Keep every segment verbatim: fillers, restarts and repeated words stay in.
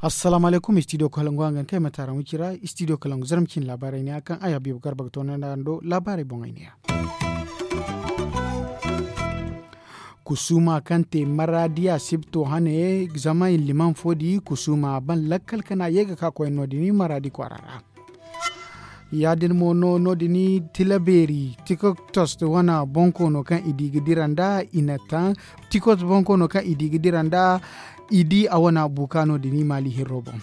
Assalaamu alaykum, istidiyo kalangu hangan kay ma taara wicira istidiyo kalangu zarma cine laabaarey ne ya kaŋ ay habiibu garba ga toonandi araŋ do laabaarey boŋey ne ya. Kusuuma kaŋ te maraadi a sibto hane zama i liman fo di kusuuma a ban lakkal kana ye ga ka koyne no- din maraadi kwaara ra. Ya- din mo no- din tilabeeri tikoktos wane bonkoono kaŋ i di ga dira nd'a i na taŋ tikoktos bonkoono kaŋ i di ga dira nd'a i di a wane buuka no- din maali hirro boŋ.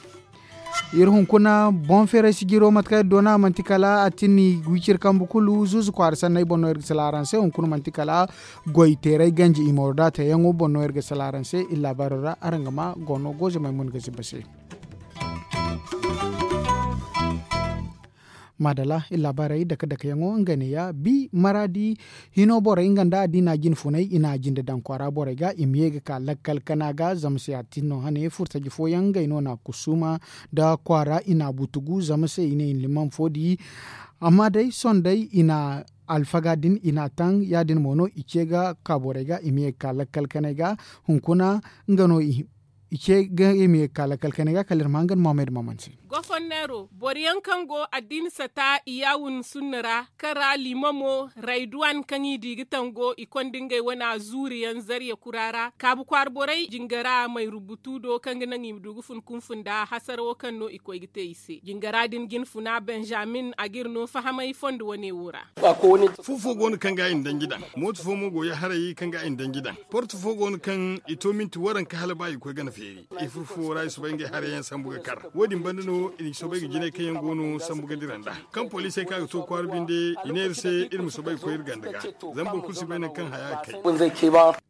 Iri hunkuna boŋ feeray sijiro mate kaŋ iri doona manti kala a tinni wiciri kambe kulu zuuzu kwaara sanney boŋ no iri ga salaŋ araŋ se hunkuna manti kala goy teeray ganji i ma wara da a te yaŋo boŋ no iri ga salaŋ araŋ se iri laabaaro ra araŋ ga ma goono goozamey mo ni ga zibba se. Maadala iri laabaarey dake dake yaŋo nga ne ya bi maraadi hino borey nga nda addiina jine funay i na a jinde daŋ kwaara borey ga i ma ye ga ka lakkal kana ga zama se a tin no hane furtaji fooyaŋ ngey no na kusuuma nda kwaara i na a butugu zama se i ne i na liman fo di. Amma day sohõ day i na alfaga din i na a taŋ ya- din mo no i ce ga ka borey ga i ma ye ga ka lakkal kanay ga hunkuna nga no i ce ga i ma ye ga ka lakkal kanay ga kala iri ma hangan mohamed maman se. Goforneero boro yaŋ kaŋ go addiina sata i yaawun sunna ra kaŋ ra liimamo rayduwan kaŋ i di ga tango i konda ngey wane zuuri yaŋ zarya kura ra kaabu kwaara borey jingara may rubutu do kaŋ ga naŋ i ma du ga fun kunfun nda hasarawo kaŋ no i koy ga te i se jingara din jinfuna benjamin a ga iri no fahamay fondo wane wo ra. Fu fo go no kaŋ ga i na danji daŋ mooto fo mo go ya haray kaŋ ga i na danji daŋ porto fo go no kaŋ i to minti waranka hala ba i koy gana feeri. I fur fuwo ra i soobay ngey haray yaŋ sambu ga kar wo- din banda no i na soobay ga jinay kaŋ yaŋ go no sambu ga dira nd'a kaŋ poliisey kaŋ a ga to kwaara binde i ne iri se iri ma soobay ga koy iri ganda ga. Zama boro kulu si bay nangu kaŋ haya ga kay.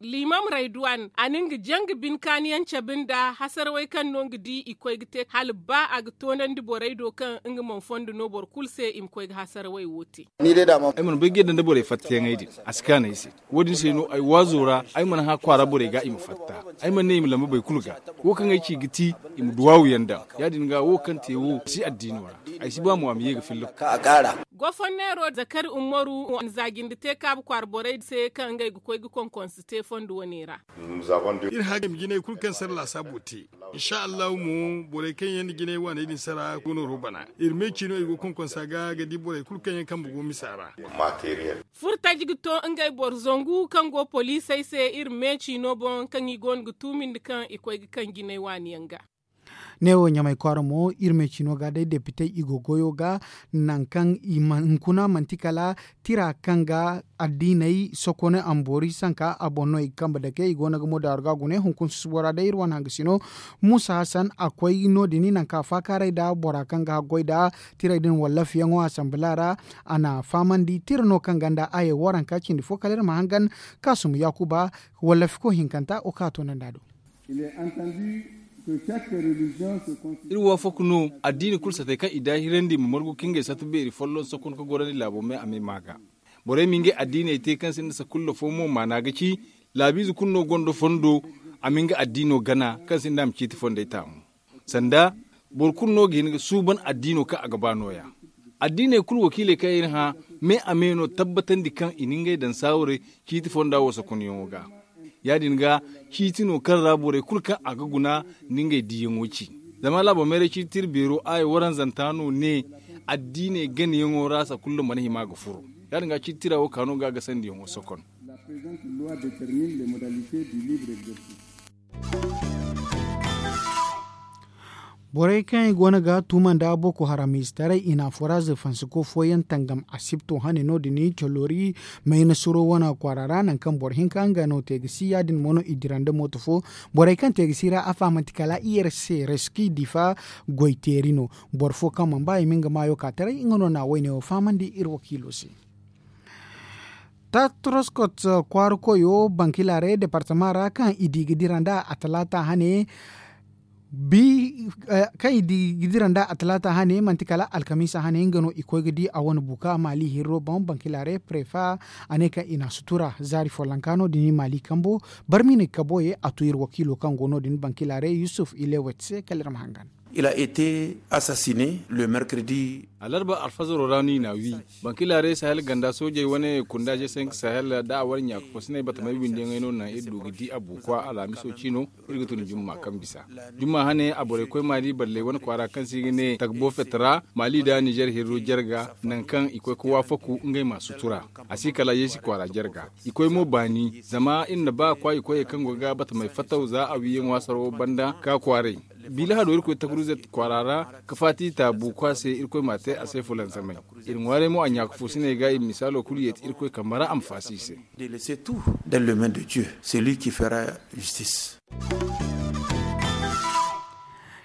Liimam rayduwan a na nga janga binkaaniyaŋ cabe nda hasarawey kaŋ no nga di i koy ga te hala ba a ga toonandi borey do kaŋ nga mana fondo no boro kulu se i ma koy ga hasarawey wo te. Ay mana bay ga yadda nda borey fattayaŋey din a si kaanu ay se. Wo- din se no ay waazo ra ay mana hã kwaara borey ga i ma fatta. Ay mana ne i ma lamba boro kulu ga wo kaŋ ay ci ga ti i ma duwaawu yaŋ daŋ. Ya- din ga wo kaŋ te wo si addiino ra. Ay si ba mo a ma ye ga filla. Goforneero zakari umaru wane zaajindi te kaabu kwaara borey se kaŋ ngey ga koy ga konkonse te fondo wane ra. Iri hã ga i ma jinay kulu kaŋ sara laasaabo te. Insa allahu mo borey kaŋ yaŋ na jinay waaney din sara go nooro bana iri meeci no i go konkonsa ga ga di borey kulu kaŋ yaŋ kambe go misa ra. Furtaji ga to ngey boro zangu kaŋ go poliisey se iri meeci no boŋ kaŋ i go no ga tuumindi kaŋ i koy ga kaŋ jinay waani yaŋ ga. Neewo ɲamay kwaara mo iri meeci no ga day depitey i go goyo ga nangu kaŋ hunkuna manti kala tira kaŋ ga addiiney sokoney amboori sanka a boŋ no i ga kambe dake i go no ga mo daaru ga gune hunkuna susubo ra day iri wane hangasino. Muusa hasan a koy no- din nangu kaŋ a faakaaray nda bora kaŋ ga haggoy nda tirey din wallafiyaŋo asambila ra. A na a fahamandi tira no kaŋ ganda a ye waranka cindi fo kala iri ma hangan kaasum yaakuba wallafiko hinkanta wo kaŋ a toonandi a do. Iri waafak no addiini kulu satey kaŋ i daahirandi ma margu ka ngey sata beeri folloŋ sokon ka gorandi laabo me a me maa ga. Borey ma ngey addiiney te kaŋ sinda sakulla fo mo maana ga ci laabiize kulu no gonda fondo. A ma nga addiino gana kaŋ sinda a ma ciiti fondey taamu. Sanda boro kulu no ga hin ga suuban addiino kaŋ a ga ba nooya. Addiiney kulu wakiiley kaŋ iri hã me a me no tabbatandi kaŋ i na ngey daŋ saawarey ciiti fonda wo sakunyaŋo ga. Ya- din ga ciiti no kaŋ ra borey kulu kaŋ a ga guna nda ngey diiyaŋo ci. Zama laabo mayray ciiti tira beero aya waranzanta no ne addiiney ganayaŋo ra sakulla mana hima ga furo. Ya- din ga ciiti tira wo ka no ga gasandiyaŋo sokon. Borey kaŋ i goono ga tuuma nda boko haram ize taray i na foraaz fansiko fooyaŋ tangam asibto hane no- din coloori mayna suro wane kwaara ra nangu kaŋ boro hinka nga no te ga si ya- din mo no i dira nda mooto fo. Borey kaŋ te ga si ra a fahamandi kala i yar se reski difa goy teeri no. Boro fo kaŋ mana ba i ma nga maayo ka taray nga no na wayne wo fahamandi iri wakiilo se. Tatroskot kwaara koyo bankilare departama ra kaŋ i di ga dira nda a talaata hane. Bi kaŋ i di ga dira nda a talaata hane manti kala alkamiisa hane nga no i koy ga di a wane buka maali hirro boŋ bankilare prefa. A ne kaŋ i na sutura zaari follonka no- din maali kambo barmine kaboye a tu iri wakiilo kaŋ go no- din bankilare yusuf ilewet se kala iri ma hangan. Il a été assassiné le mercredi. Alarba alfazaro ra no i n'a wi. Bankilaaray sahel ganda soojey wane kunda g cinq sahel da a wane ɲaaka fo sinay batamay windiyaŋey no naŋ iri du ga di a buukwa alhamiso ciino. Iri ga tun jumma kaŋ bisa jumma hane a borey koy maali balley wane kwaara kaŋ se i ga ne tagbo fetara maali nda nizer hirro jarga nangu kaŋ i koy ga waafaku ngey ma sutura. A si kala yeesi kwaara jarga i koy mo baani zama iri na ba kwaayi koyey kaŋ go ga batamey fattaw za a wiiyaŋo a sarawo banda ka kwaaray. Biila hado iri koy takuruzet kwaara ra ka faati taabu kwa se iri koy m'a te a se fulansamay. Iri ŋwaaray mo a ɲaaka fo sinay ga iri misaalo kulu yeeti iri koy kambe ra a ma faasi i se. De laisser tout dans le main de dieu, c'est lui qui fera justice.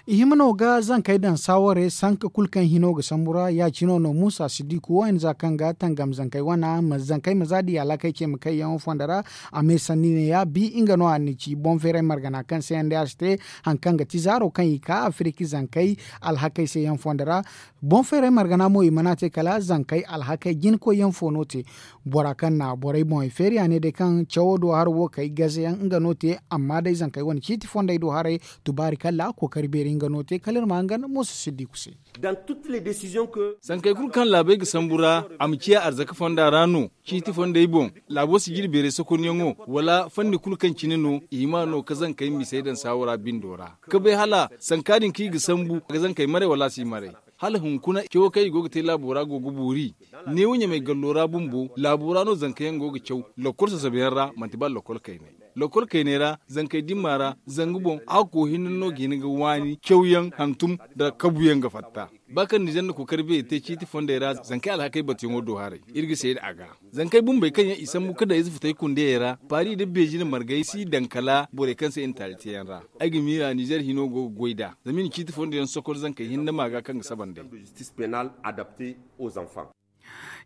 I hima no ga zankey daŋ saawarey sanka kulu kaŋ hino ga sambu ra ya- cino no muusa siddiku wo hinza kaŋ ga tangam zankey wane ma zankey ma za di alhakey ce ma kayyaŋo fondo ra. A me sanni ne ya bi nga no a na ci boŋ feeray margana kaŋ se yaŋ day a si te. Hari kaŋ ga ti zaaro kaŋ i ka afiriki zankey alhakey se yaŋ fondo ra. Boŋ feeray margana mo i mana te kala zankey alhakey jinakoyyaŋ fo no te. Bora kaŋ na borey boŋey feeri a ne day kaŋ cawo do hara wo kay gazeyaŋ nga no te. Amma day zankey wane ciiti fondey do haray tubaari kala kookari beeri nga no te kala iri ma hangan muusa siddiku se. Sankey kulu kaŋ laabey ga sambu ra a ma ciya arzaka fonda ra no ciiti fondey boŋ. Laabo si jiri beeray sokonyaŋo wala fanni kulu kaŋ cine no i hima no ka zankey misey daŋ saawo ra bindo ra ka bay hala sanka din kaŋ i ga sambu a ga zankey maray wala a si maray. Hala hunkuna cawo kaŋ i go ga te laabo ra go ga boori. Neewo ɲamay gallo ra bumbo laabo ra no zanka yaŋ go ga caw. Lakkol sasabe yaŋ ra manti ba lakkol kaynay. Lakkol kaynay ra zankey dimma ra zanga boŋ a ga koy hinne no ga hin ga waani cawyaŋ hantum nda kabuyaŋ ga fatta. Ba kaŋ nizer na kookari beeri te ciiti fondey ra zankey alhakey batuyaŋo do haray. Iri ga seeda a ga zankey bumbey kaŋ yaŋ i sambu ka daŋ ize futay kundeyey ra paari nda beeji nda margay si daŋ kala borey kaŋ se i na taali teeyaŋ ra. Ay ga miila nizer hino go ga goy nd'a zama i na ciiti fondo yaŋ sokor zankey hinne ma ga kaŋ ga saba nd'ey.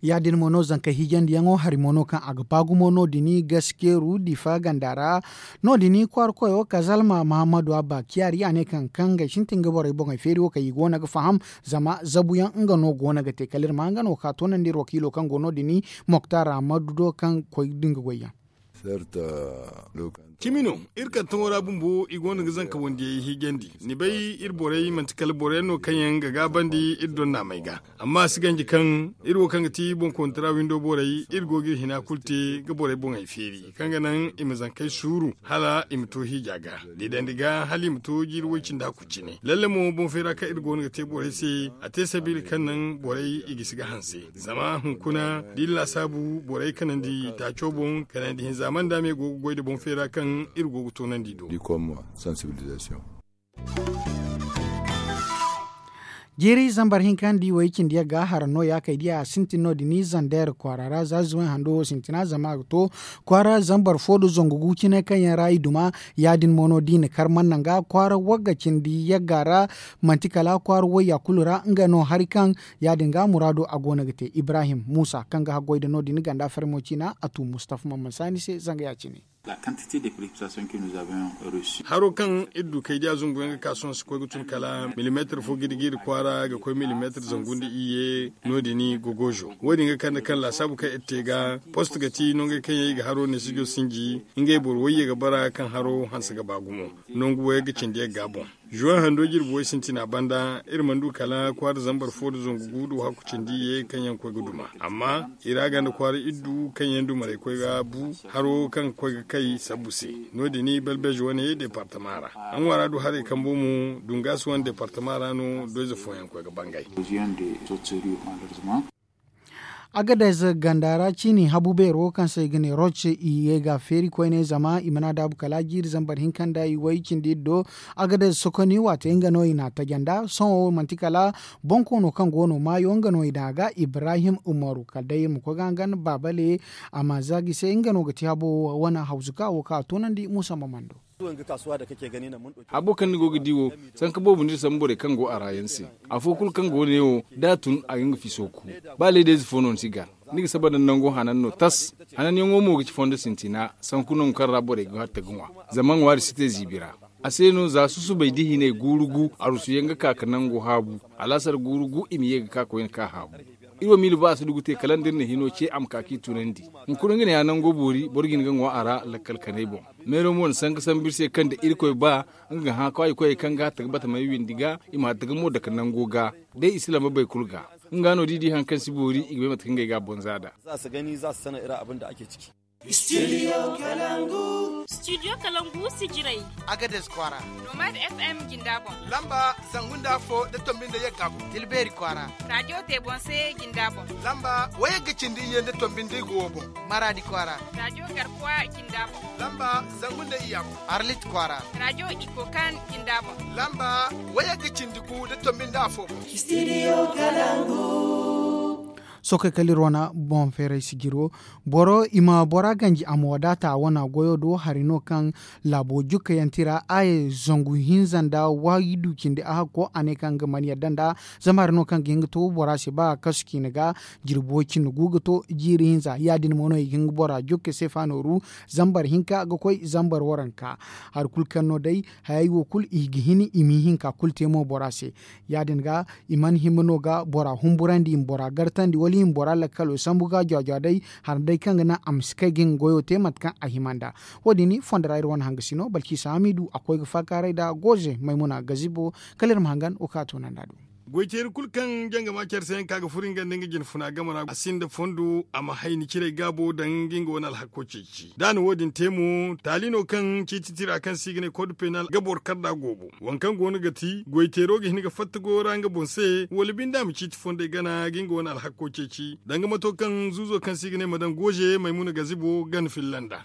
Ya- din mo no zankey hiijandiyaŋo hari mo no kaŋ a ga ba gumo no- din gaskeeru difa ganda ra. No- din kwaara koyo kazalma mahammadu abba kiyaari a ne kaŋ kaŋ ngey sintin ga borey boŋey feeri wo kaŋ i go no ga faham. Zama zabuyaŋ nga no go no ga te kala iri ma nga no ka toonandi iri wakiilo kaŋ go no- din moktar ahmadu do kaŋ koy din ga goy yaŋ. Cimi no iri kaŋ taŋo ra bumbo i go no ga zanka wandiyey hiijandi. Ni bay iri borey manti kala boro yaŋ no kaŋ yaŋ ga gaabandi iri donnaamey ga. Amma a si ganji kaŋ iri wo kaŋ ga ti boŋ kontara windo borey iri go ga iri hina kulu te ga borey boŋey feeri kaŋ ga naŋ i ma zankey suuru hala i ma to hiija ga. Diidandi ga hala i ma to jiiri woy cindi hakku cine lalle mo boŋ feera kaŋ iri go no ga te borey se. A te sabiila kaŋ naŋ borey i gisi ga hanse zama hunkuna da iri laasaabu borey kanandi taaco boŋ kanandi hinza manda me go ga goy nda boŋ feera kaŋ iri go ga toonandi do. Jiiri zambar hinka nda i way cindi yagga hara no ya kay diya a sintin no- din zandeer kwaara ra za zuway hando wo sintina zama a ga to kwaara zambar fo nda zangu gu cine kaŋ yaŋ ra i duma. Ya- din mo no da i na kar man naŋ ga kwaara wagga cindi yagga ra. Manti kala kwaara wayya kulu ra nga no hari kaŋ ya- din ga muraado a go no ga te ibrahim muusa kaŋ ga haggoy nda no- din ganda farmo ciina a tu mustafa mamman saani se zanga ya- cine. Haro kaŋ iri du kay diya zungu yaŋ ga ka sohõ si koy ga tun kala milimeetir fo giri giri kwaara ga koy milimeetir zangu nda iyye. No- din gogozo wo- din ga kande kaŋ laasaabu kaŋ iri te ga post ga ti nongey kaŋ yaŋ i ga haro neesijo sinji ngey boro wayye ga bara kaŋ haro hanse ga ba gumo. Nangu wo yaŋ ga cindi yagga boŋ. Zuwan hando jirbi way sintina banda iri mana du kala kwaara zambar fo nda zangu gu nda wahakku cindi ye kaŋ yaŋ koy ga duma. Amma i ra ganda kwaara iddu kaŋ yaŋ dumarey koy ga bu haro kaŋ ga koy ga kay sabbu se. No- din balbeeje wane deepartama ra a ŋwaara du haray kambo mo dungaasi wane deepartama ra no doyze fooyaŋ koy ga bangay. Agadez ganda ra ciini habu beero kaŋ se i ga ne roc i ye ga feeri koyne zama i mana daabu kala jiiri zambar hinka nda i way cindi iddo. Agadez sokoni waate nga no i n'a taja nda sohõ manti kala bonkoono kaŋ go no maayo nga no i daŋ a ga ibrahim umaru kala day iri ma koy ga hangan baabale. A ma zaagi se nga no ga ti habo wane hawzuka wo kaŋ a toonandi musa mamando. Habo kaŋ ni go ga di wo sanka boobo no iri sambu borey kaŋ go a ra yaŋ se. Afo kulu kaŋ go neewo da a tun a ga nga fiso ku. Ba leedayze fo no ni si gar ni ga saba nda nango hanan no tas. Hananyaŋo mo ga ci fondo sintina sanku nangu kaŋ ra borey ga hatta ga ŋwa. Zama ŋwaari si te ziibi ra. A se no za susubay da hinay guuru gu arusuyaŋ ga ka ga nango haabu. Alaasar guuru gu i ma ye ga ka koyne ka haabu. Iri wo miila ba a si dugu te kala nda iri na hino ce a ma ka ka i tunandi. Hunkuna nga ne ya nango boori boro ga hin ga ŋwa a ra lakkal kanay boŋ. Meero mo na sanka sambu iri se kaŋ da irkoy ba nga ga hã kwaayi koyey kaŋ ga hatta ga bata may windi ga i ma hatta ga mo dake nango ga. Day i si lamba bay kulu ga nga no da i di hari kaŋ si boori i ga bay mate kaŋ ngey ga a boŋ za nd'a. Za si gani za si sana iri abin da ake ciki. Studio kalangu. Studio kalangu si jirai. Agades kwaara. Nomad f m jinda boŋ. Lamba zangu nda afo da tombi nda yagga boŋ. Tilbeeri kwaara. Radio tebonse jinda boŋ. Lamba wayagga cindi iyye nda tombi nda igo wo boŋ. Maraadi kwaara. Radio garkuwa jinda boŋ. Lamba zangu nda iyya boŋ. Arlit kwaara. Radio ikokan jinda boŋ. Lamba wayagga cindi gu nda tombi nda afo boŋ. Studio kalangu. Sookey kala iri wane boŋ feeray sijiro. Boro i ma bora ganji a ma wadaata a wane goyo do hari no kaŋ laabo jukkayanti ra a ye zangu hinza nda waayi du cindi a hakko a ne kaŋ ga mana yadda nda. Zama hari no kaŋ ga hin ga to bora se ba kasu ciine ga jirbi way cindi gu ga to jiiri hinza ya- din mo no i ga hin ga bora jukke se fa nooru. Zambar hinka ga koy zambar waranka hari kulu kaŋ no day hayey wo kulu i ga hin i ma ihinka kulu te mo bora se. Ya- din ga i mana hima no ga bora humburandi i ma bora gartandi wala i ma bora lakkalo sambu ga jwa-jwa day. Hari day kaŋ ga naŋ a ma si kay ga nga goyo te mate kaŋ a hima nd'a. Wo- din fondo ra iri wane hangasi no balkisa hamidu a koy ga faakaaray nda goze maymuna gazibo. Kala iri ma hangan wo kaŋ a toonandi a do. Goy teeri kulu kaŋ jangama care se yaŋ ka ga furo nga nda nga jinfuna game ra a sinda fondo a ma hay ni ciray gaabo daŋ ga nga wane alhakko ceeci. Da a na wo- din te mo taali no kaŋ ciiti tira kaŋ se i ga ne kod penal ga boro kar nd'a goobo. Waŋ kaŋ go no ga ti goy teero ga hin ga fatta goyo ra nga boŋ se wala binde a ma ciiti fondey gana ga nga wane alhakko ceeci danga mato kaŋ zuuzo kaŋ se i ga ne ma daŋ goze maymuna gazibo gana filla nd'a.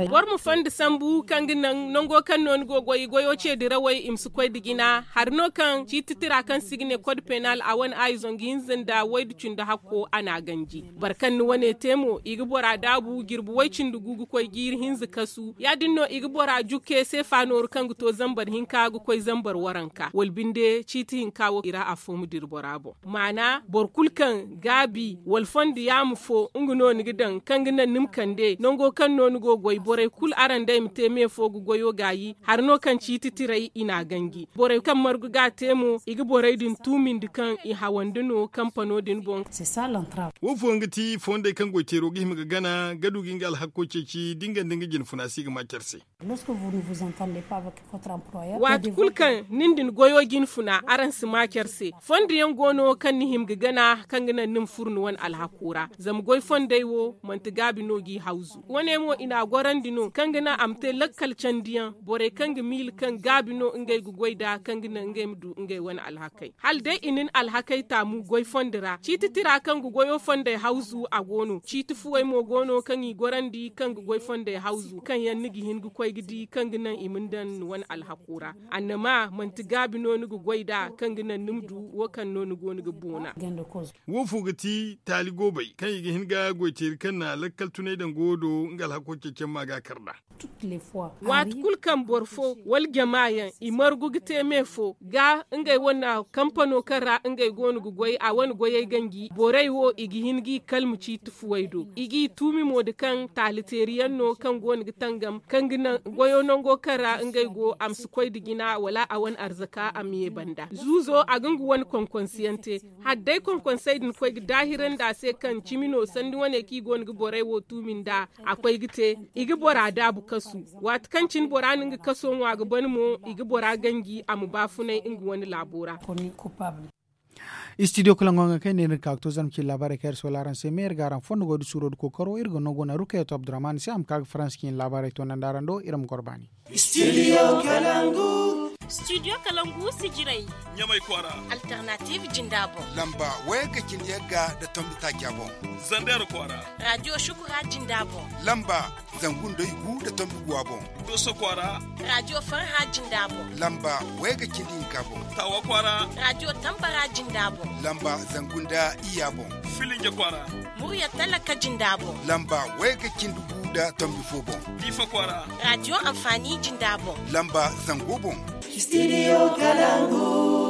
Boro ma fondo sambu kaŋ ga naŋ nango kaŋ no ni go goy goyo ce dirawey i ma si koy nda jina hari no kaŋ ciiti tira kaŋ se i ga ne kod penal a wane aayi zangu hinza nda waydu cindi hakko a n'a ganji. Boro kaŋ ni wane te mo i ga bora daabu jirbi way cindi gu ga koy jiiri hinza kasu ya- din no i ga bora jukke seefa nooru kaŋ ga to zambar hinka ga koy zambar waranka wala binde ciiti hinka wo i ra afo ma dira bora boŋ. Maana boro kulu kaŋ gaabi wala fondo yaama fo nga no ni ga daŋ kaŋ ga naŋ ni ma kande nango kaŋ no ni go goy borey kulu araŋ day ma te me fo ga goyo gaayi hari no kaŋ ciiti tiray i n'a ganji borey kaŋ margu ga a te mo i ga borey din tuumindi kaŋ i hawandi no kampano din boŋ. Wo fooyaŋ ga ti fondey kaŋ goy teero ga hima ga gana ga du ga nga alhakko ceeci da nga nda nga jinfuna si ga ma care se. Waati kulu kaŋ nin din goyo jinfuna araŋ si ma care se fondo yaŋ go no kaŋ ni hima ga gana kaŋ ga naŋ ni ma furo ni wane alhakko ra zama goy fondey wo manti gaabi no g'i hawzu wane mo i n'a gorandi no kaŋ ga naŋ a ma te lakkal candiyaŋ borey kaŋ ga miila kaŋ gaabi no ngey ga goy nd'a kaŋ ga naŋ ngey ma du ngey wane alhakay hala day i na ni alhakay taamu goy fondo ra ciiti tira kaŋ ga goyo fondey hawzu a go no ciiti fuwey mo go no kaŋ i gorandi kaŋ ga goy fondey hawzu kaŋ yaŋ ni ga hin ga koy ga di kaŋ ga naŋ i ma ni daŋ ni wane alhako ra annama manti gaabi no ni ga goy nd'a kaŋ ga naŋ ni ma du wo kaŋ no ni go ni ga boona. Wo fo ga ti taali goobey kaŋ i ga hin ga goy teeri kaŋ na lakkal tunay daŋ goyo do nga alhako ceecamma ga a kar nd'a. Waati kulu kaŋ boro fo wala jama yaŋ i margu ga te me fo ga ngey wane kampano kaŋ ra ngey go no ga goy a wane goyey ganji borey wo i ga hin g'i kalma ciiti fuwey do i g'i tuumi mo nda kaŋ taaliteeri yaŋ no kaŋ go no ga tangam kaŋ ga naŋ goyo nango kaŋ ra ngey go a ma si koy nda jina wala a wane arzaka a ma ye banda zuuzo a ga nga wane konkonsiyaŋ te. Hala day konkonsey din koy ga daahirandi a se kaŋ cimi no sanni wane kaŋ i go no ga borey wo tuumi nd'a a koy ga te i ga bora daabu kasu waati kaŋ cine bora na nga kaso ŋwa ga ban mo i ga bora ganji a ma baafunay nga wane laabo ra. Studio kalaŋo nga kay ne iri ga ka ga to zarma cine laabaarey kaŋ iri soola araŋ se me iri ga araŋ fondo goy da suuro da kookaro iri ga no go na rukayatu abdurrahman se a ma ka ga faransa cine laabaarey to nandi araŋ do iri ma goro baani. Studio kalangu. Studio kalangu sijiray. Ɲamay kwaara. Alternative jinda boŋ. Lamba wayagga cindi yagga nda tombi taaca boŋ. Zander kwaara. Radio shukura jinda boŋ. Lamba zangu nda igu nda tombi guwa boŋ. Doso kwaara. Radio farha jinda boŋ. Lamba wayagga cindi hinka boŋ. Tawa kwaara. Radio tambara jinda boŋ. Lamba zangu nda iyya boŋ. Filinja kwaara. Murya talaka jinda boŋ. Lamba wayagga cindi gu nda tombi fo boŋ. Diifa kwaara. Radio anfaani jinda boŋ. Lamba zango boŋ. Studio kalangu.